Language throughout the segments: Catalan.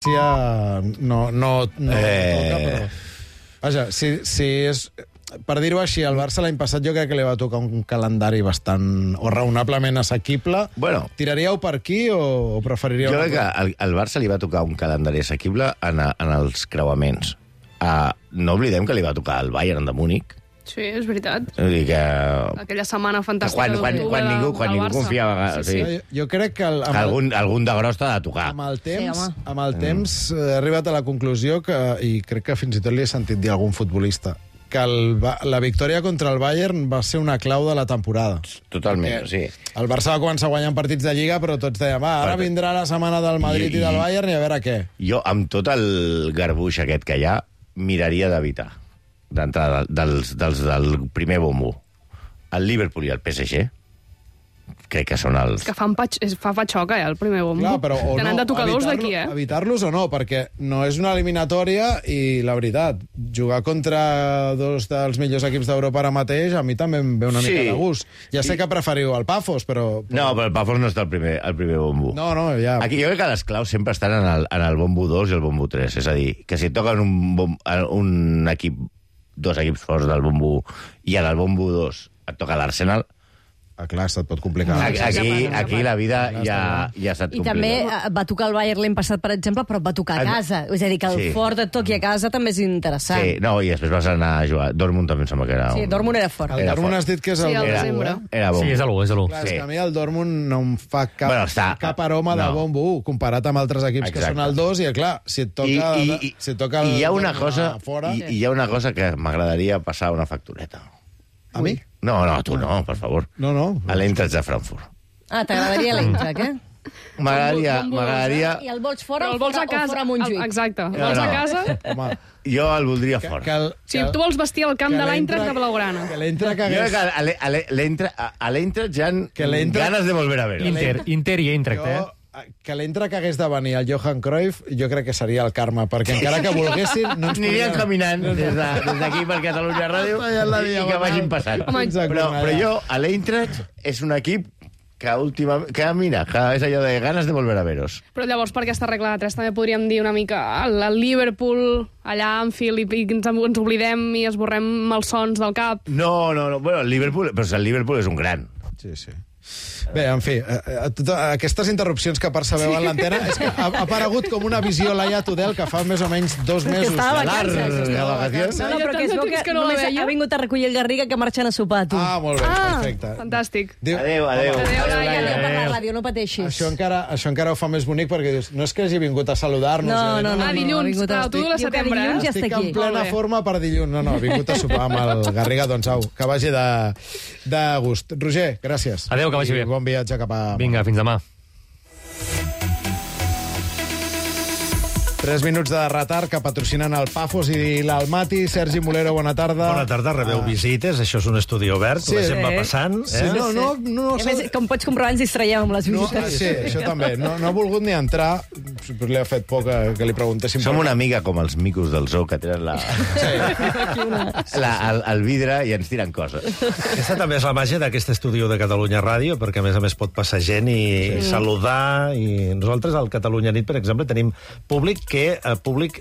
no toca, però... Vaja, si és... Per dir-ho així, al Barça l'any passat jo crec que li va tocar un calendari bastant o raonablement assequible. Bueno, tiraríeu per aquí o preferiríeu... Jo crec que al Barça li va tocar un calendari assequible en els creuaments. No oblidem que li va tocar el Bayern de Múnich. Sí, és veritat. Vull dir que... Aquella setmana fantàstica quan ningú confiava... Sí. Jo crec que... Algun de gros t'ha de tocar. Amb el temps he arribat a la conclusió que, i crec que fins i tot li he sentit dir a algun futbolista, que la victòria contra el Bayern va ser una clau de la temporada. Totalment, sí. El Barça va començar guanyant partits de Lliga, però tots deien, ara vindrà la setmana del Madrid i del Bayern i a veure què. Jo, amb tot el garbuix aquest que hi ha, miraria d'evitar, d'entrada, dels del primer bombo. El Liverpool i el PSG, crec que són els... És que fa patxoca, el primer bombo. Clar, però Tenen de tocadors d'aquí, Evitar-los o no, perquè no és una eliminatòria i, la veritat, jugar contra dos dels millors equips d'Europa ara mateix a mi també em ve una mica de gust. Ja sé que preferiu el Pafos, però... No, però el Pafos no està al primer bombo. No, ja... Aquí jo crec que les claus sempre estan en el bombo 2 i el bombo 3. És a dir, que si et toquen un equip, dos equips forts del bombo 1 i en el bombo 2 et toca l'Arsenal, clar, se't pot complicar. Aquí la vida ja se't complica. I també va tocar el Bayern l'any passat, per exemple, però va tocar a casa. És a dir, que el fort et toqui a casa també és interessant. Sí, no, i després vas anar a jugar. Dortmund també em sembla que era... Sí, Dortmund era fort. El Dortmund has dit que és el desembre. Era bombo. Sí, és l'1. Clar, és que a mi el Dortmund no em fa cap aroma de bombo 1, comparat amb altres equips que són el 2, i clar, si et toca el fora... I hi ha una cosa que m'agradaria passar una factureta. A mi? No, tu no, per favor. No. A l'Eintracht de Frankfurt. T'agradaria l'Eintracht, M'agradaria... I el vols fora o fora a Montjuïc? Exacte. El vols a casa? Home, jo el voldria fora. Si tu vols vestir el camp de l'Eintracht de Blaugrana. Que l'Eintracht Jo crec que a l'Eintracht ja han ganes de volver a veure. Inter i Eintracht, que l'Eintracht hagués de venir al Johan Cruyff, jo crec que seria el karma, perquè encara que volguessin... no ens anirien caminant des d'aquí per Catalunya Ràdio i que vagin passant. Però jo, a l'Eintracht és un equip que mira, que és allò de ganes de volver a veros. Però llavors, per aquesta regla de 3, també podríem dir una mica el Liverpool, allà a Anfield, i ens oblidem i esborrem malsons del cap. No. Bueno, el Liverpool és un gran. Sí. Bé, en fi, aquestes interrupcions que percebeu en l'antena és que ha aparegut com una visió Laia Tudel que fa més o menys 2 mesos. Estava vacances. No, però que es veu que només ha vingut a recollir el Garriga que marxen a sopar, tu. Molt bé, perfecte. Fantàstic. Adéu. Per la ràdio, no pateixis. Això encara ho fa més bonic perquè dius, no és que hagi vingut a saludar-nos. No. Dilluns, clar, tu la setembre. Estic en plena forma per dilluns. No, ha vingut a sopar amb el Garriga, doncs au, que vagi de gust. Roger, gràcies. Adéu, que vagi bé. Bon viatge cap a... Vinga, fins demà. 3 minuts de retard que patrocinen el Pafos i l'Almaty. Sergi Mulero, bona tarda. Bona tarda, rebeu visites, això és un estudi obert, la gent va passant. Sí, no. Com pots comprovar, ens distraiem amb les visites. Sí, això també. No ha volgut ni entrar, li ha fet por que li preguntéssim. Som una mica com els micos del zoo, que tenen el vidre i ens tiren coses. Aquesta també és la màgia d'aquest estudi de Catalunya Ràdio, perquè a més pot passar gent i saludar. I nosaltres al Catalunya Nit, per exemple, tenim públic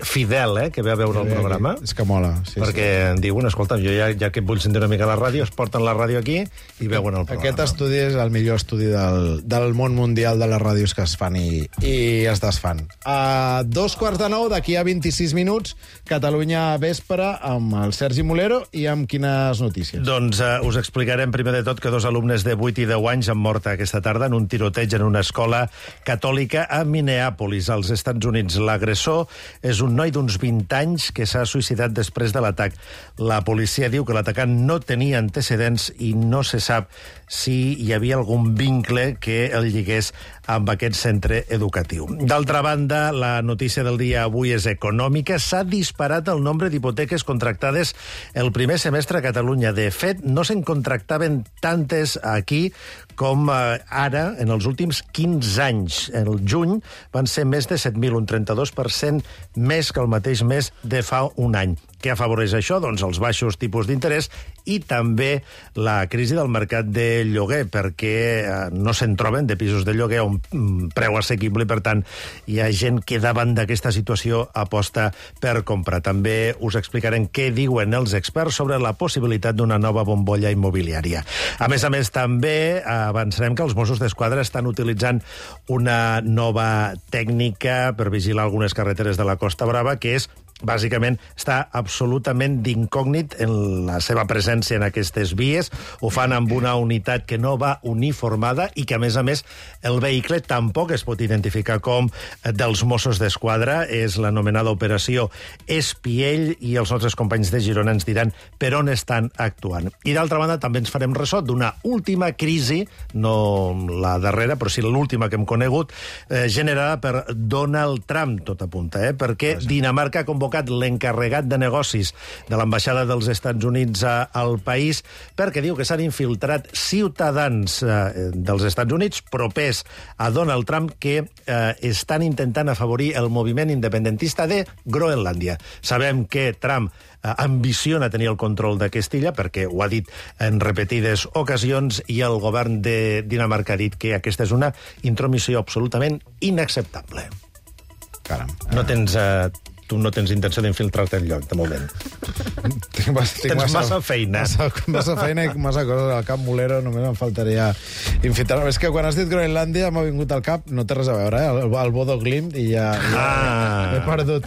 fidel, que ve a veure el programa. És que mola. Perquè diuen, escolta, jo ja que vull sentir una mica la ràdio, es porten la ràdio aquí i veuen el programa. Aquest estudi és el millor estudi del món mundial de les ràdios que es fan i es desfan. A 8:45, d'aquí a 26 minuts, Catalunya Vespre, amb el Sergi Mulero i amb quines notícies? Doncs us explicarem primer de tot que 2 alumnes de 8 i 10 anys han mort aquesta tarda en un tiroteig en una escola catòlica a Minneapolis, als Estats Units. L'agressor és un noi d'uns 20 anys que s'ha suïcidat després de l'atac. La policia diu que l'atacant no tenia antecedents i no se sap si hi havia algun vincle que el lligués amb aquest centre educatiu. D'altra banda, la notícia del dia avui és econòmica. S'ha disparat el nombre d'hipoteques contractades el primer semestre a Catalunya. De fet, no se'n contractaven tantes aquí com ara en els últims 15 anys. El juny van ser més de 7.000, un 32% 20% més que el mateix mes de fa un any. Què afavoreix això? Doncs els baixos tipus d'interès i també la crisi del mercat de lloguer, perquè no se'n troben de pisos de lloguer a un preu assequible i, per tant, hi ha gent que davant d'aquesta situació aposta per comprar. També us explicarem què diuen els experts sobre la possibilitat d'una nova bombolla immobiliària. A més, també avançarem que els Mossos d'Esquadra estan utilitzant una nova tècnica per vigilar algunes carreteres de la Costa Brava, que és bàsicament està absolutament d'incògnit en la seva presència en aquestes vies. Ho fan amb una unitat que no va uniformada i que, a més, el vehicle tampoc es pot identificar com dels Mossos d'Esquadra. És l'anomenada operació Espiell i els nostres companys de Girona ens diran per on estan actuant. I, d'altra banda, també ens farem ressò d'una última crisi, no la darrera, però sí l'última que hem conegut, generada per Donald Trump, tot apunta, perquè Dinamarca ha convocat l'encarregat de negocis de l'ambaixada dels Estats Units al país perquè diu que s'han infiltrat ciutadans dels Estats Units propers a Donald Trump que estan intentant afavorir el moviment independentista de Groenlàndia. Sabem que Trump ambiciona tenir el control d'aquesta illa perquè ho ha dit en repetides ocasions i el govern de Dinamarca ha dit que aquesta és una intromissió absolutament inacceptable. Caram. Tu no tens intenció d'infiltrar-te enlloc, de moment. Tens massa feina. Massa feina i massa coses al cap, Molero, només em faltaria infiltrar. És que quan has dit Groenlàndia m'ha vingut al cap, no té res a veure, el Bodo Glimt, i ja he perdut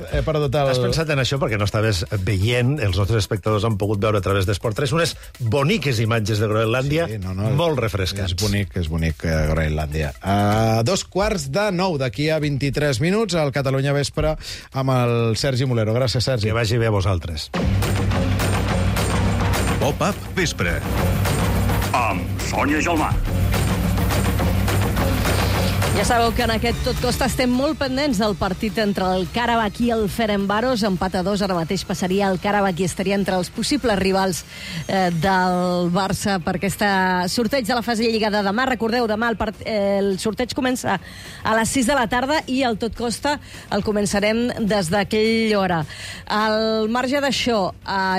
el... Has pensat en això perquè no estaves veient, els nostres espectadors han pogut veure a través d'Esport 3 unes boniques imatges de Groenlàndia, molt refrescants. És bonic Groenlàndia. 8:45, d'aquí a 23 minuts, al Catalunya Vespre, amb el Sergi Molero. Gràcies, Sergi. Que vagi bé a vosaltres. Pop-up Vespre. Amb Sònia Gelmà. Ja sabeu que en aquest Tot Costa estem molt pendents del partit entre el Karabakh i el Ferencváros. Empat a 2, ara mateix passaria el Karabakh i estaria entre els possibles rivals del Barça per aquesta sorteig de la fase de Lliga de demà. Recordeu, demà el sorteig comença a les 6 de la tarda i el Tot Costa el començarem des d'aquella hora. Al marge d'això,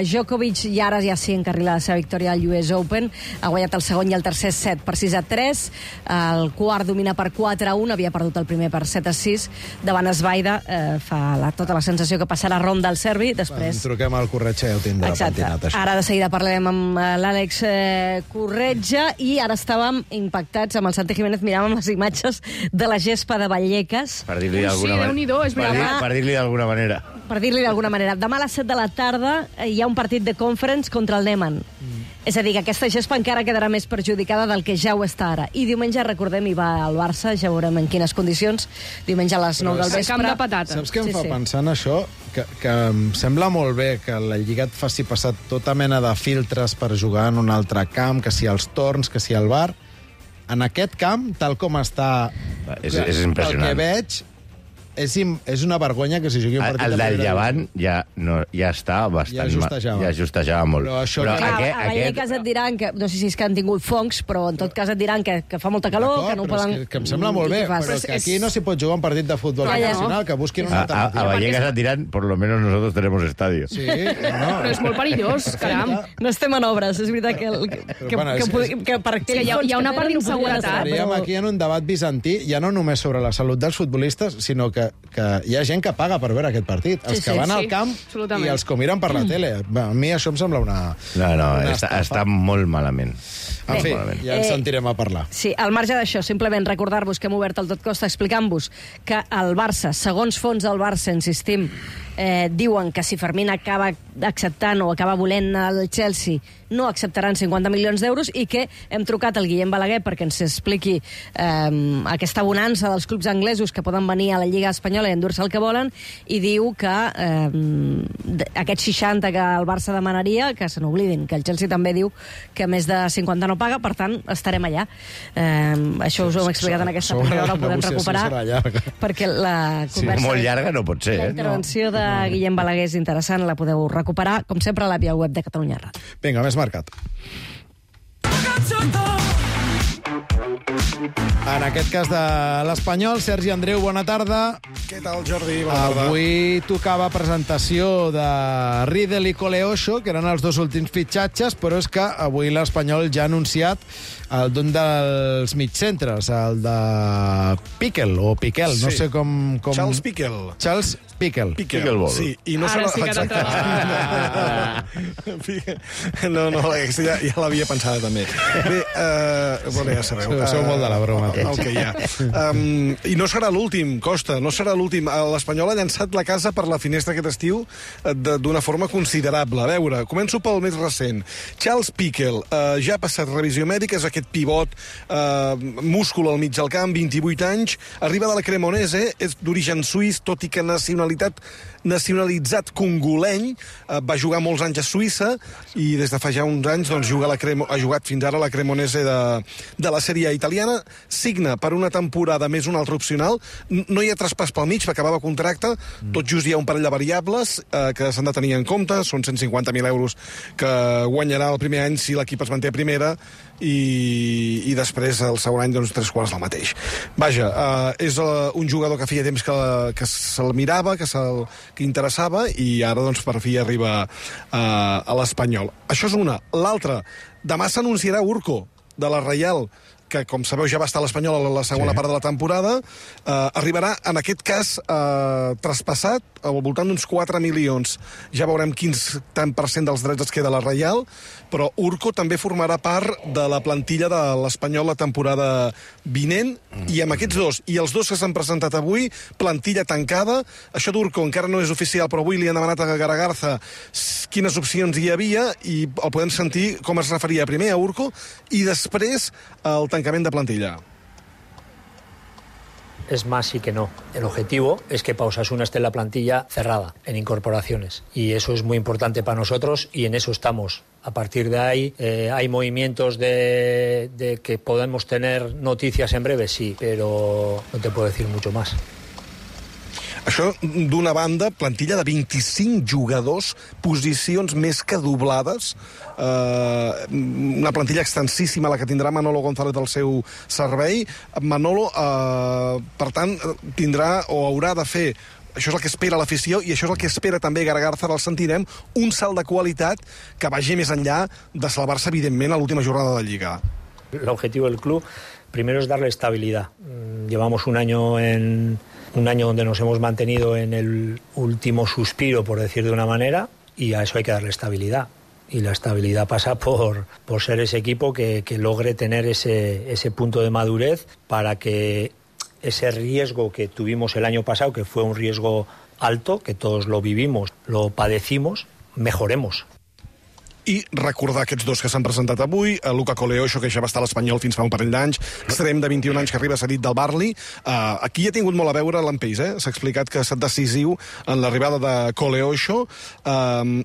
Djokovic ja s'hi encarrila la seva victòria al US Open. Ha guanyat el segon i el tercer set per 6-3. El quart domina per 4-1, havia perdut el primer per 7-6 davant Esbaida. Fa tota la sensació que passarà ronda al serbi. Després... Truquem al Corretja i ja ho tindrà pentinat, això. Ara de seguida parlarem amb l'Àlex Corretja i ara estàvem impactats amb el Santi Jiménez, miràvem les imatges de la gespa de Vallecas. Per dir-li d'alguna manera. Déu-n'hi-do, és veritat. Per dir-li d'alguna manera. Per dir-li d'alguna manera. Demà a les 7 de la tarda hi ha un partit de Conference contra el Neman. És a dir, que aquesta gespa encara quedarà més perjudicada del que ja ho està ara. I diumenge, recordem, hi va al Barça, ja veurem en quines condicions, diumenge a les 9 del vespre. Camp de patata. Saps què em fa pensar en això? Que em sembla molt bé que la Lliga et faci passar tota mena de filtres per jugar en un altre camp, que si els torns, que si el VAR. En aquest camp, tal com està... És impressionant. El que veig... És una vergonya que si jugui un partit... El del Llevant ja està bastant... Ja justejava molt. Però a Vallecas et diran que... No sé si és que han tingut fongs, però en tot cas et diran que fa molta calor, que no ho poden... Que em sembla molt bé, però que aquí no s'hi pot jugar un partit de futbol professional, que busquin una alternativa. A Vallecas et diran, por lo menos nosotros tenemos estadio. Sí, Però és molt perillós, caram. No estem en obres, és veritat que hi ha una part d'inseguretat. Estaríem aquí en un debat bizantí, ja no només sobre la salut dels futbolistes, sinó que hi ha gent que paga per veure aquest partit. Els que van al camp i els que ho miren per la tele. A mi això em sembla una... No, està molt malament. En fi, ja ens sentirem a parlar. Sí, al marge d'això, simplement recordar-vos que hem obert el Tot Costa explicant-vos que el Barça, segons fons del Barça, insistim, diuen que si Fermín acaba acceptant o acaba volent el Chelsea, no acceptaran 50 milions d'euros i que hem trucat al Guillem Balaguer perquè ens expliqui aquesta bonança dels clubs anglesos que poden venir a la Lliga Espanyola i endur-se el que volen, i diu que aquests 60 que el Barça demanaria, que se n'oblidin, que el Chelsea també diu que més de 50 no paga, per tant, estarem allà. Això us ho hem explicat en aquesta primera hora, ho podem recuperar, perquè la conversa... Molt llarga no pot ser, La intervenció de Guillem Balaguer és interessant, la podeu recuperar, com sempre, a la via web de Catalunya Ràdio. Vinga, més marcat. En aquest cas de l'Espanyol, Sergi Andreu, bona tarda. Què tal, Jordi? Bona tarda. Avui tocava presentació de Riedel i Coleocho, que eren els dos últims fitxatges, però és que avui l'Espanyol ja ha anunciat d'un dels mitcentres, el de Piquel, o Piquel, no sé com... Charles Piquel. Charles Piquel. Pickleball. Sí, i no Ara serà... sí que Exacte. No, aquesta ja l'havia pensada també. Bé, bueno, ja sabeu. Sou molt de la broma. El que hi ha. I no serà l'últim, Costa, no serà l'últim. L'Espanyol ha llançat la casa per la finestra aquest estiu d'una forma considerable. A veure, començo pel més recent. Charles Piquel ja ha passat revisió mèdica, és aquest pivot, múscul al mig del camp, 28 anys, arriba de la Cremonese, és d'origen suís, tot i que nacionalitzat congoleny, va jugar molts anys a Suïssa i des de fa ja uns anys doncs, ha jugat fins ara a la Cremonese de la Sèrie A italiana, signa per una temporada més una altra opcional, no hi ha traspàs pel mig, va acabar el contracte, tot just hi ha un parell de variables que s'han de tenir en compte, són 150.000 euros que guanyarà el primer any si l'equip es manté a primera i després el segon any doncs 3/4 del mateix. Vaja, és un jugador que feia temps que se'l mirava, que interessava i ara doncs per fi arriba a l'Espanyol. Això és una. L'altra, demà s'anunciarà Urco de la Reial, que, com sabeu, ja va estar a l'Espanyol a la segona part de la temporada, arribarà, en aquest cas, traspassat al voltant d'uns 4 milions. Ja veurem quins tant % dels drets es queda a la Reial, però Urco també formarà part de la plantilla de l'Espanyol la temporada vinent, i amb aquests dos, i els dos que s'han presentat avui, plantilla tancada. Això d'Urco encara no és oficial, però avui li han demanat a Garagarza quines opcions hi havia, i el podem sentir com es referia primer a Urco, i després al tancament de plantilla. Es más sí que no. El objetivo es que Pau Osasuna esté en la plantilla cerrada, en incorporaciones. Y eso es muy importante para nosotros y en eso estamos. A partir de ahí hay movimientos de que podemos tener noticias en breve, sí, pero no te puedo decir mucho más. Això, d'una banda, plantilla de 25 jugadors, posicions més que doblades, una plantilla extensíssima, la que tindrà Manolo González al seu servei. Manolo, per tant, tindrà o haurà de fer, això és el que espera l'afició i això és el que espera també Garagarza, el sentirem, un salt de qualitat que vagi més enllà de salvar-se, evidentment, a l'última jornada de Lliga. El objetivo del club, primero es darle estabilidad. Llevamos un año donde nos hemos mantenido en el último suspiro, por decir de una manera, y a eso hay que darle estabilidad. Y la estabilidad pasa por ser ese equipo que logre tener ese punto de madurez para que ese riesgo que tuvimos el año pasado, que fue un riesgo alto, que todos lo vivimos, lo padecimos, mejoremos. I recordar aquests dos que s'han presentat avui, Luca Coleocho, que ja va estar a l'Espanyol fins fa un parell d'anys, extrem de 21 anys que arriba cedit del Barli. Aquí ha tingut molt a veure l'Ampeix, s'ha explicat que ha estat decisiu en l'arribada de Coleocho,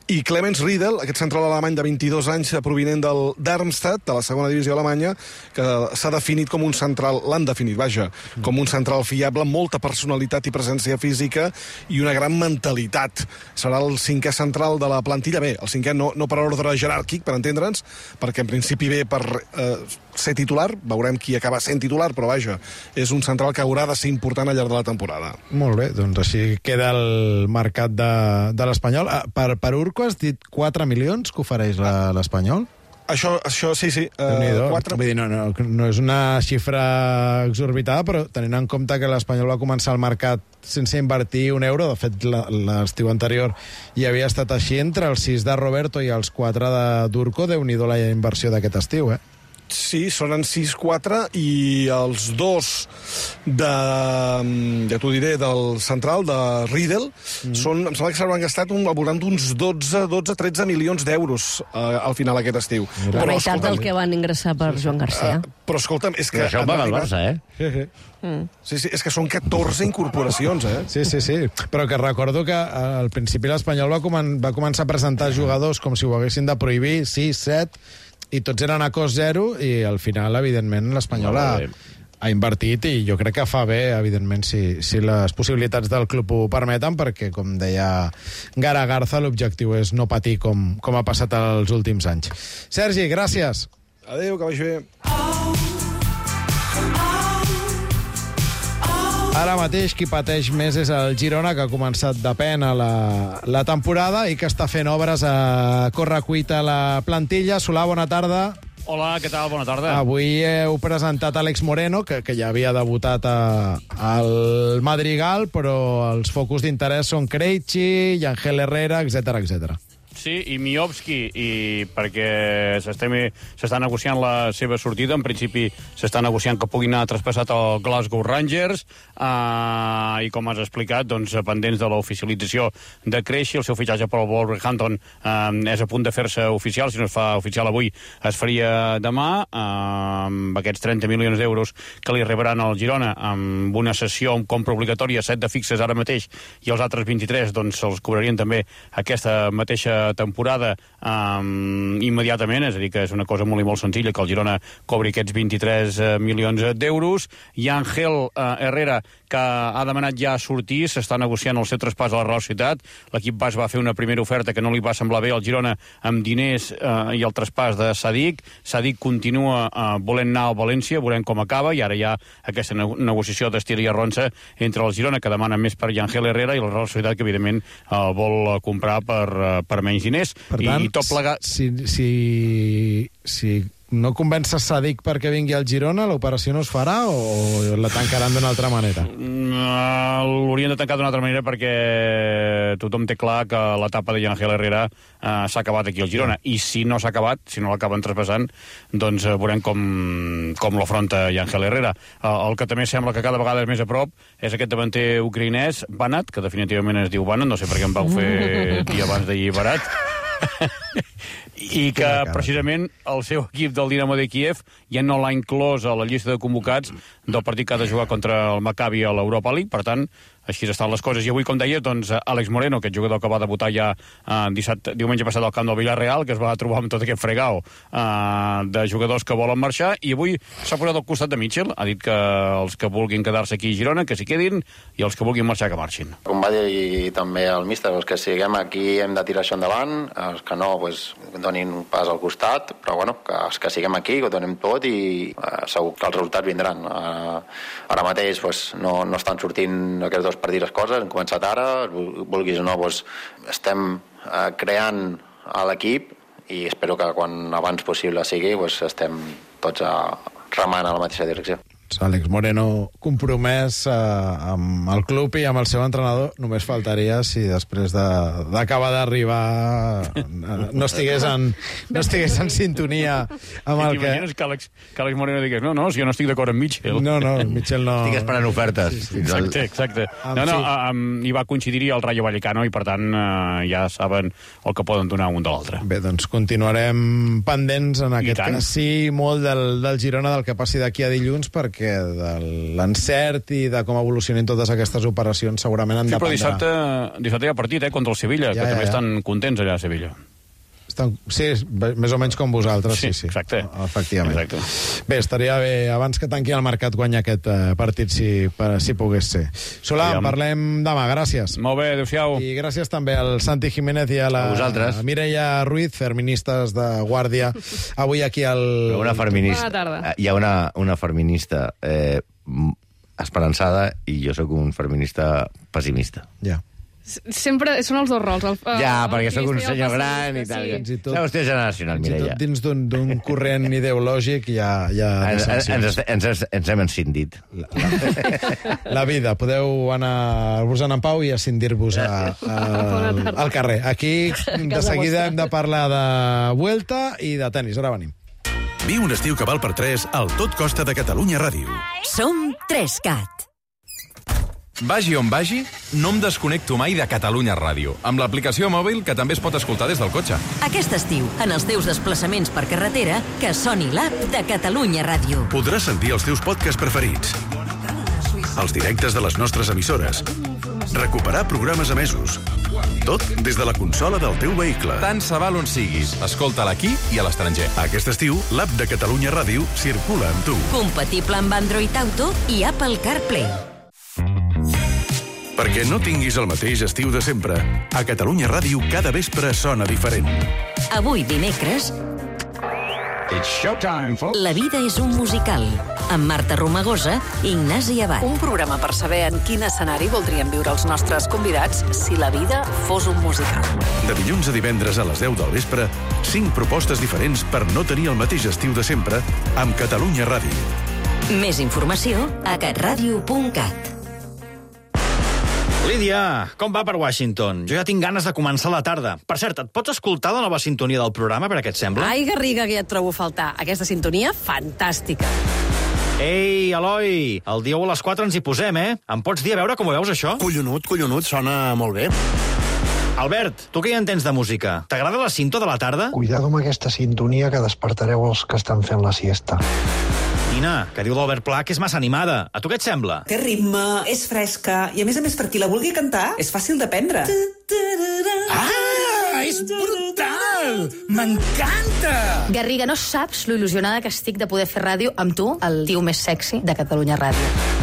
i Clemens Riedel, aquest central alemany de 22 anys provinent del Darmstadt, de la segona divisió alemanya, que s'ha definit com un central, l'han definit, vaja, com un central fiable, amb molta personalitat i presència física i una gran mentalitat. Serà el cinquè central de la plantilla, bé, el cinquè no per ordre jeràrquic, per entendre'ns, perquè en principi ve per ser titular, veurem qui acaba sent titular, però vaja, és un central que haurà de ser important al llarg de la temporada. Molt bé, doncs així queda el mercat de l'Espanyol. Per Urco has dit 4 milions que ofereix l'Espanyol? Això sí. 4... Vull dir, no és una xifra exorbitada, però tenint en compte que l'Espanyol va començar el mercat sense invertir un euro, de fet l'estiu anterior hi havia estat així, entre els 6 de Roberto i els 4 d'Urco, Déu-n'hi-do la inversió d'aquest estiu, Sí, són en 6-4 i els dos ja t'ho diré, del central, de Riedel, em sembla que s'hauran gastat al voltant d'uns 12-13 milions d'euros al final aquest estiu. La meitat del que van ingressar per Joan Garcia. Però escolta'm, és que... Però això ho paga el Barça, Sí, és que són 14 incorporacions, Sí. Però que recordo que al principi l'Espanyol va començar a presentar jugadors com si ho haguessin de prohibir, 6, 7... i tots eren a cost zero, i al final, evidentment, l'Espanyol ha invertit, i jo crec que fa bé, evidentment, si les possibilitats del club ho permeten, perquè, com deia Garagarza, l'objectiu és no patir com ha passat els últims anys. Sergi, gràcies. Adéu, que vagi bé. Ara mateix qui pateix més és el Girona, que ha començat de pena la temporada i que està fent obres a correcuita a la plantilla. Solà, bona tarda. Hola, què tal? Bona tarda. Avui heu presentat Àlex Moreno, que ja havia debutat al Madrigal, però els focus d'interès són Krejci, Yangel Herrera, etc. Sí, i Miovski, i perquè s'està negociant la seva sortida. En principi s'està negociant que puguin anar traspassat al Glasgow Rangers, i com has explicat, doncs, pendents de l'oficialització de Krejci, el seu fitxatge per al Wolverhampton és a punt de fer-se oficial. Si no es fa oficial avui, es faria demà, amb aquests 30 milions d'euros que li rebran al Girona, amb una cessió amb compra obligatòria, 7 de fixes ara mateix, i els altres 23 doncs se'ls cobrarien també aquesta mateixa temporada immediatament, és a dir, que és una cosa molt i molt senzilla que el Girona cobri aquests 23 milions d'euros. I Ángel Herrera, que ha demanat ja sortir, s'està negociant el seu traspàs a la Real Societat. L'equip basc va fer una primera oferta que no li va semblar bé al Girona amb diners i el traspàs de Sadik. Sadik continua volent anar al València, veurem com acaba, i ara hi ha aquesta negociació d'estir i arronsa entre el Girona, que demana més per Ángel Herrera, i la Real Societat, que evidentment vol comprar per menys diners. Per tant, i tot plegat... si no convences Sadik perquè vingui al Girona, l'operació no es farà o la tancaran d'una altra manera? L'haurien de tancar d'una altra manera perquè tothom té clar que l'etapa de Ángel Herrera s'ha acabat aquí al Girona. I si no s'ha acabat, si no l'acaben traspassant, doncs veurem com l'afronta Ángel Herrera. El que també sembla que cada vegada és més a prop és aquest davanter ucraïnès, Banat, que definitivament es diu Banat, no sé per què em vau fer dir abans d'ahir Barat, i que precisament el seu equip del Dinamo de Kiev ja no l'ha inclòs a la llista de convocats del partit que ha de jugar contra el Maccabi a l'Europa League. Per tant, així estan les coses. I avui, com deia, doncs, Àlex Moreno, aquest jugador que va debutar ja diumenge passat al camp del Villarreal, que es va trobar amb tot aquest fregau de jugadors que volen marxar, i avui s'ha posat al costat de Mitchell. Ha dit que els que vulguin quedar-se aquí a Girona, que s'hi quedin, i els que vulguin marxar, que marxin. Com va dir també el míster, els que siguem aquí hem de tirar això endavant, els que no, doncs, donin un pas al costat, però bueno, que els que siguem aquí, que ho donem tot, i segur que els resultats vindran. Ara mateix doncs, no estan sortint aquests dos partits les coses, hem començat ara, vulguis o no, doncs, estem creant a l'equip, i espero que quan abans possible sigui, doncs, estem tots remant a la mateixa direcció. Àlex Moreno compromès amb el club i amb el seu entrenador. Només faltaria si després d'acabar d'arribar no estigués en sintonia amb el que... T'imagines que Àlex Moreno digués no, si jo no estic d'acord amb Mitchell. No, Mitchell no... Estic esperant ofertes. Sí. Exacte. I va coincidir el Rayo Vallecano, i per tant ja saben el que poden donar un de l'altre. Bé, doncs continuarem pendents en aquest cas, sí, molt del Girona, del que passi d'aquí a dilluns, perquè de l'encert i de com evolucionin totes aquestes operacions segurament han dependrà. Sí, però dissabte hi ha partit contra el Sevilla, que també estan contents allà a Sevilla. Sí, més o menys com vosaltres. Sí, exacte. Efectivament. Exacte. Bé, estaria bé, abans que tanqui el mercat, guanyar aquest partit, si pogués ser. Solà, parlem demà, gràcies. Molt bé, adéu-siau. I gràcies també al Santi Jiménez i a la Mireia Ruiz, feministes de guàrdia, avui aquí al... Una feminista. Bona tarda. Hi ha una feminista esperançada i jo sóc un feminista pessimista. Ja. Sempre són els dos rols. Perquè sóc un senyor gran i tal. És una qüestió generacional, Mireia. Dins d'un corrent ideològic ens hem escindit. La vida. Podeu anar-vos en pau i escindir-vos al carrer. Aquí, de seguida, hem de parlar de Vuelta i de tenis. Ara venim. Viu un estiu que val per 3 al Tot Costa de Catalunya Ràdio. Som 3CAT. Vagi on vagi, no em desconnecto mai de Catalunya Ràdio, amb l'aplicació mòbil que també es pot escoltar des del cotxe. Aquest estiu, en els teus desplaçaments per carretera, que soni l'app de Catalunya Ràdio. Podràs sentir els teus podcasts preferits, els directes de les nostres emissores, recuperar programes emesos, tot des de la consola del teu vehicle. Tant se val on siguis, escolta-la aquí i a l'estranger. Aquest estiu, l'app de Catalunya Ràdio circula amb tu. Compatible amb Android Auto i Apple CarPlay. Perquè no tinguis el mateix estiu de sempre, a Catalunya Ràdio cada vespre sona diferent. Avui dimecres, It's showtime, folks. La vida és un musical, amb Marta Romagosa i Ignasi Abad. Un programa per saber en quin escenari voldrien viure els nostres convidats si la vida fos un musical. De dilluns a divendres a les 10 del vespre, 5 propostes diferents per no tenir el mateix estiu de sempre amb Catalunya Ràdio. Més informació a catradio.cat. Lídia, com va per Washington? Jo ja tinc ganes de començar la tarda. Per cert, et pots escoltar la nova sintonia del programa, per què et sembla? Ai, Garriga, que ja et trobo a faltar. Aquesta sintonia, fantàstica. Ei, Eloi, el dia 1 a les 4 ens hi posem, eh? Em pots dir a veure com ho veus, això? Collonut, sona molt bé. Albert, tu què hi entens de música? T'agrada la cinto de la tarda? Cuidado amb aquesta sintonia que despertareu els que estan fent la siesta. Nina, que diu l'Albert Pla que és massa animada. A tu què et sembla? Té ritme, és fresca, i a més, per qui la vulgui cantar, és fàcil d'aprendre. Ah, és brutal! M'encanta! Garriga, no saps lo il·lusionada que estic de poder fer ràdio amb tu, el tio més sexy de Catalunya Ràdio.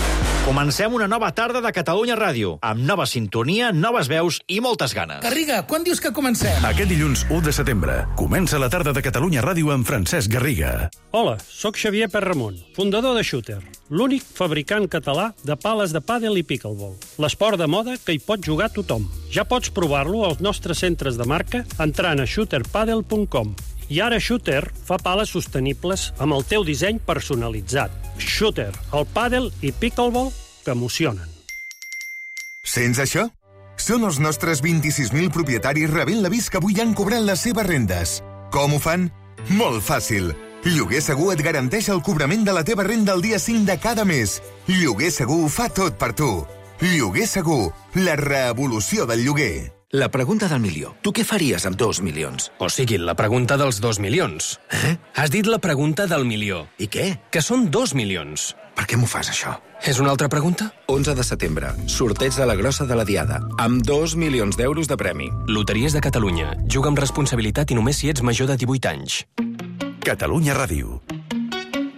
Comencem una nova tarda de Catalunya Ràdio, amb nova sintonia, noves veus i moltes ganes. Garriga, quan dius que comencem? Aquest dilluns 1 de setembre comença la tarda de Catalunya Ràdio amb Francesc Garriga. Hola, sóc Xavier Perramon, fundador de Shooter, l'únic fabricant català de pales de pàdel i pickleball. L'esport de moda que hi pot jugar tothom. Ja pots provar-lo als nostres centres de marca entrant a shooterpadel.com. I ara Shooter fa pales sostenibles amb el teu disseny personalitzat. Shooter, el pàdel i pickleball que emocionen. Sents això? Són els nostres 26.000 propietaris rebent l'avís que avui han cobrat les seves rendes. Com ho fan? Molt fàcil. Lloguer Segur et garanteix el cobrament de la teva renda el dia 5 de cada mes. Lloguer Segur fa tot per tu. Lloguer Segur, la revolució del lloguer. La pregunta del milió. Tu què faries amb 2 milions? O sigui, la pregunta dels 2 milions. Has dit la pregunta del milió. I què? Que són 2 milions. Per què m'ho fas, això? És una altra pregunta? 11 de setembre. Sorteig de la grossa de la Diada. Amb 2 milions d'euros de premi. Loteries de Catalunya. Juga amb responsabilitat i només si ets major de 18 anys. Catalunya Ràdio.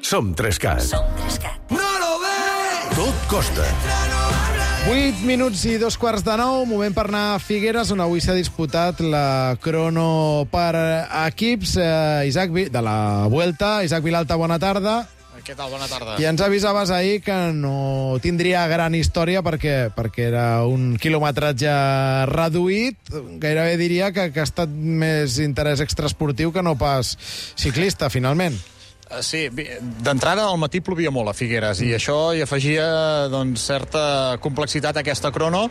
Som 3CAT. Som 3CAT. No lo ves! Tot costa. 8 minuts i 2:15, moment per anar a Figueres, on avui s'ha disputat la crono per equips de la Vuelta. Isaac Vilalta, bona tarda. Què tal? Bona tarda. I ens avisaves ahir que no tindria gran història perquè era un quilometratge reduït. Gairebé diria que ha estat més interès extraesportiu que no pas ciclista, finalment. Sí, d'entrada al matí plovia molt a Figueres i això hi afegia certa complexitat a aquesta crono.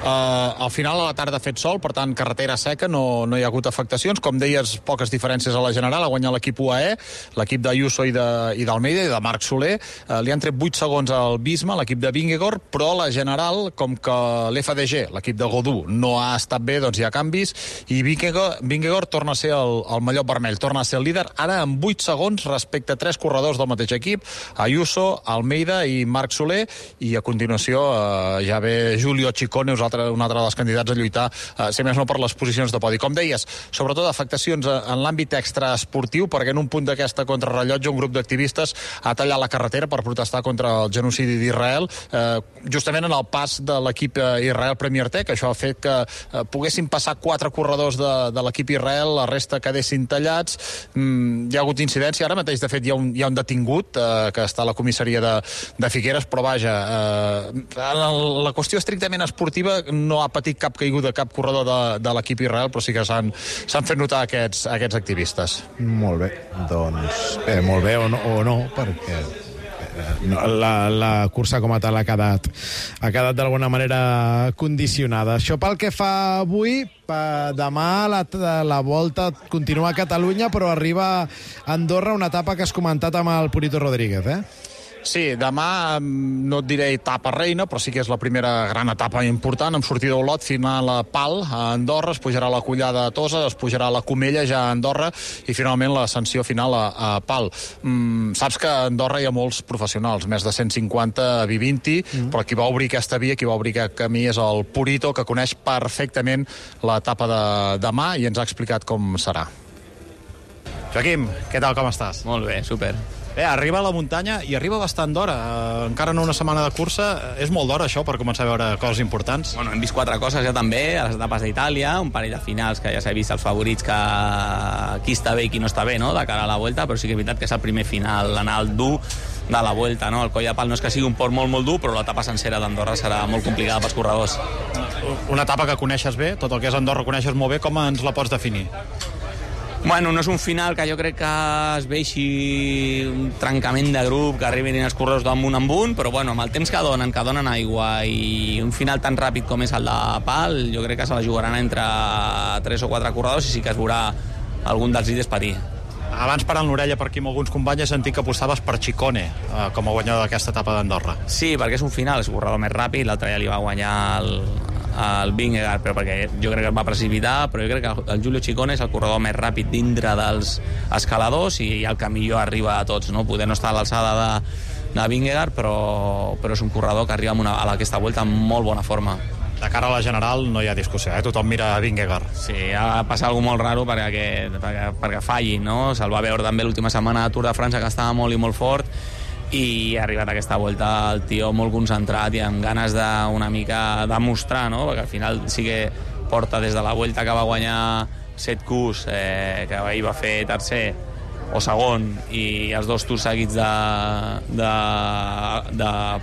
Al final a la tarda ha fet sol, per tant carretera seca, no hi ha hagut afectacions. Com deies, poques diferències a la general. Ha guanyat l'equip UAE, l'equip d'Ayuso i d'Almeida i de Marc Soler. Li han tret 8 segons al Bisma, l'equip de Vingegaard, però la general, com que l'FDG, l'equip de Godú, no ha estat bé, doncs hi ha canvis i Vingegaard torna a ser el mallot vermell, torna a ser el líder, ara amb 8 segons respecte 3 corredors del mateix equip, Ayuso, Almeida i Marc Soler, i a continuació ja ve Giulio Ciccone, un altre dels candidats a lluitar, si més no per les posicions de podi. Com deies, sobretot afectacions en l'àmbit extraesportiu, perquè en un punt d'aquesta contrarrellotge un grup d'activistes ha tallat la carretera per protestar contra el genocidi d'Israel, justament en el pas de l'equip Israel Premier Tech. Això ha fet que poguessin passar 4 corredors de l'equip Israel, la resta quedessin tallats. Hi ha hagut incidència, ara mateix de fet hi ha un detingut que està a la comissaria de Figueres, però vaja, la qüestió estrictament esportiva no ha patit cap caiguda, cap corredor de l'equip Israel, però sí que s'han fet notar aquests activistes. Molt bé, doncs molt bé o no, perquè la cursa com a tal ha quedat d'alguna manera condicionada. Això pel que fa avui. Demà la Volta continua a Catalunya, però arriba a Andorra, una etapa que has comentat amb el Purito Rodríguez, Sí, demà no et diré etapa reina, però sí que és la primera gran etapa important, amb sortida d'Olot, final a Pal, a Andorra, es pujarà la Collada a Tosa, es pujarà la Comella ja a Andorra, i finalment l'ascensió final a Pal. Saps que a Andorra hi ha molts professionals, més de 150 B20, però qui va obrir aquesta via, qui va obrir aquest camí és el Purito, que coneix perfectament l'etapa de demà i ens ha explicat com serà. Joaquim, què tal, com estàs? Molt bé, super. Bé, arriba a la muntanya i arriba bastant d'hora. Encara no una setmana de cursa. És molt d'hora, això, per començar a veure coses importants. Bueno, hem vist 4 coses ja també, a les etapes d'Itàlia, un parell de finals que ja s'ha vist els favorits, que qui està bé i qui no està bé, no?, de cara a la Vuelta, però sí que és veritat que és el primer final, l'anar al dur de la Vuelta, no? El Coll de Pal no és que sigui un port molt, molt dur, però l'etapa sencera d'Andorra serà molt complicada pels corredors. Una etapa que coneixes bé, tot el que és Andorra coneixes molt bé, com ens la pots definir? Bueno, no és un final que jo crec que es veixi un trencament de grup, que arribin els corredors d'un en un, però bueno, amb el temps que donen aigua i un final tan ràpid com és el de Pal, jo crec que se la jugaran entre 3 o 4 corredors i sí que es veurà algun dels líders patir. Abans, parant l'orella per aquí amb alguns companys, he sentit que apostaves per Ciccone com a guanyador d'aquesta etapa d'Andorra. Sí, perquè és un final, és un corredor més ràpid, l'altre ja li va guanyar el Vingegaard, però perquè jo crec que es va precipitar, però jo crec que el Giulio Ciccone és el corredor més ràpid dintre dels escaladors i el que millor arriba a tots, no? Poder no estar a l'alçada de Vingegaard, però és un corredor que arriba a aquesta Vuelta amb molt bona forma. De cara a la general no hi ha discussió, tothom mira a Vingegaard. Sí, ha passat alguna molt raro perquè falli, no? Se'l va veure també l'última setmana de Tour de França, que estava molt i molt fort, i ha arribat a aquesta Vuelta el tio molt concentrat i amb ganes d'una mica demostrar, no? Perquè al final sí que porta des de la Vuelta que va guanyar 7 Qs, que ahir va fer tercer o segon, i els 2 tours seguits de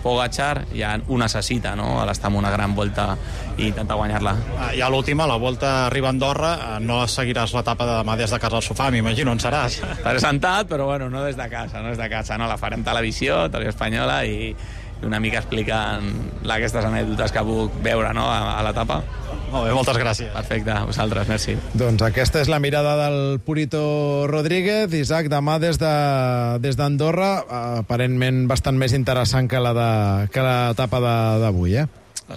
Pogačar, ja ho necessita, no?, a l'estar en una gran Volta i intentar guanyar-la. I a l'última, la Volta arriba a Andorra, no seguiràs l'etapa de demà des de casa al sofà, m'imagino, on seràs? Estaré sentat, però bueno, no des de casa, no, la farem televisió espanyola, i una mica explicant aquestes anècdotes que puc veure, no?, a l'etapa. Molt bé, moltes gràcies. Perfecte, vosaltres, merci. Doncs aquesta és la mirada del Purito Rodríguez. Isaac, demà des d'Andorra, aparentment bastant més interessant que l'etapa d'avui,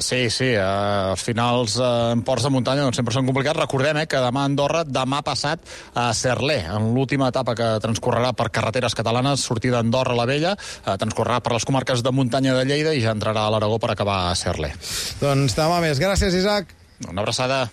Sí, els finals en ports de muntanya doncs sempre són complicats. Recordem que demà a Andorra, demà passat a Cerler, en l'última etapa que transcorrerà per carreteres catalanes, sortida d'Andorra la Vella, transcorrerà per les comarques de muntanya de Lleida i ja entrarà a l'Aragó per acabar a Cerler. Doncs demà més. Gràcies, Isaac. Una abraçada.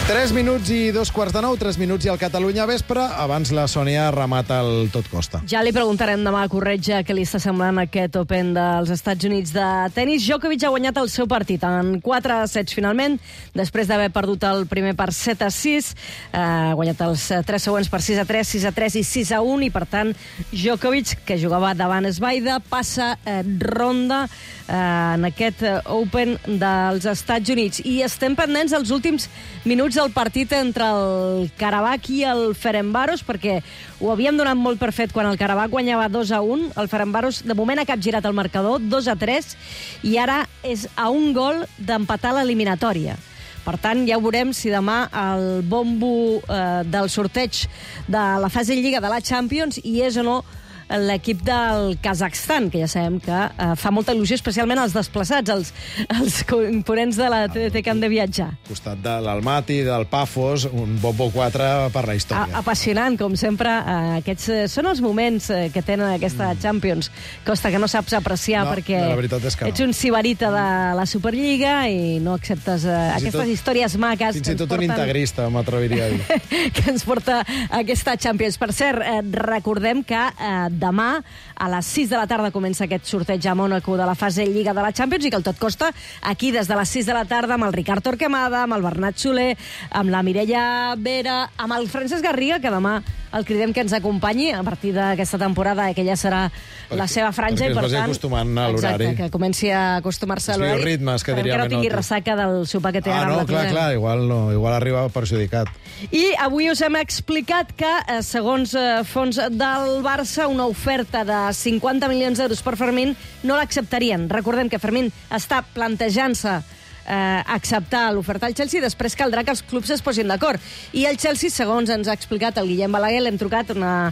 Tres minuts i 2:15, 3 minuts i al Catalunya Vespre. Abans la Sònia remata el tot costa. Ja li preguntarem demà a Corretja què li està semblant aquest Open dels Estats Units de tenis. Djokovic ha guanyat el seu partit en 4 sets finalment, després d'haver perdut el primer per 7-6. Ha guanyat els 3 següents per 6-3, 6-3 i 6-1, i per tant Djokovic, que jugava davant Svaida, passa ronda en aquest Open dels Estats Units. I estem pendents dels últims minuts del partit entre el Karabakh i el Ferencváros, perquè ho havíem donat molt per fet quan el Karabakh guanyava 2-1. El Ferencváros de moment ha capgirat el marcador 2-3 i ara és a un gol d'empatar l'eliminatòria. Per tant, ja ho veurem si demà el bombo del sorteig de la fase Lliga de la Champions hi és o no l'equip del Kazakhstan, que ja sabem que fa molta il·lusió, especialment als desplaçats, els components de la TDT que han de viatjar. Al costat de l'Almaty, del Pafos, un bombo 4 per la història. Apassionant, com sempre. Aquests són els moments que tenen aquesta Champions. Costa que no saps apreciar, perquè la veritat és que ets un sibarita de la Superliga i no acceptes aquestes històries maques. Fins i tot un integrista, m'atreviria a dir. Que ens porta aquesta Champions. Per cert, recordem que demà a les 6 de la tarda comença aquest sorteig a Mònaco de la fase Lliga de la Champions, i que el tot costa aquí des de les 6 de la tarda amb el Ricard Torquemada, amb el Bernat Soler, amb la Mireia Vera, amb el Francesc Garriga, que demà el cridem que ens acompanyi a partir d'aquesta temporada, que ja serà la seva franja, i per tant... Perquè es vagi acostumant a l'horari. Exacte, que comenci a acostumar-se a l'horari. Ritmes, que diria no tingui ressaca del sopar que té ara amb la Tona. Clar, igual arriba perjudicat. I avui us hem explicat que, segons fons del Barça, una oferta de 50 milions d'euros per Fermín no l'acceptarien. Recordem que Fermín està plantejant-se acceptar l'oferta al Chelsea, després caldrà que els clubs es posin d'acord. I el Chelsea, segons ens ha explicat el Guillem Balaguer, l'hem trucat, una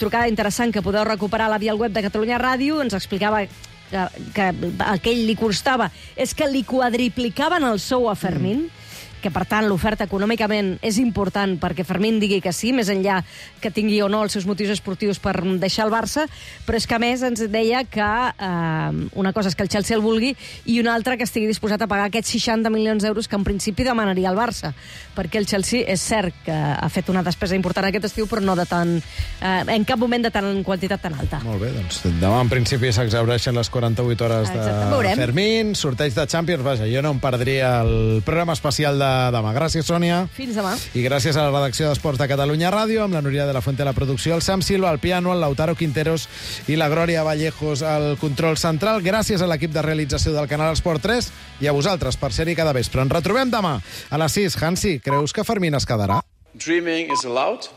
trucada interessant que podeu recuperar a la via web de Catalunya Ràdio, ens explicava que el que ell li costava és que li quadriplicaven el sou a Fermín, que per tant l'oferta econòmicament és important perquè Fermín digui que sí, més enllà que tingui o no els seus motius esportius per deixar el Barça, però és que a més ens deia que una cosa és que el Chelsea el vulgui i una altra que estigui disposat a pagar aquests 60 milions d'euros que en principi demanaria el Barça, perquè el Chelsea és cert que ha fet una despesa important aquest estiu, però no de tant, en cap moment de tant en quantitat tan alta. Molt bé, doncs demà en principi s'exhaureixen les 48 hores de Fermín, sorteig de Champions, vaja, jo no em perdria el programa especial de demà. Gràcies, Sònia. Fins demà. I gràcies a la redacció d'Esports de Catalunya Ràdio, amb la Núria de la Fuente a la producció, el Sam Silva al piano, el Lautaro Quinteros i la Glòria Vallejos al control central. Gràcies a l'equip de realització del Canal Esport 3 i a vosaltres per ser-hi cada vespre. Ens retrobem demà a les 6. Hansi, creus que Fermín es quedarà? Dreaming is allowed.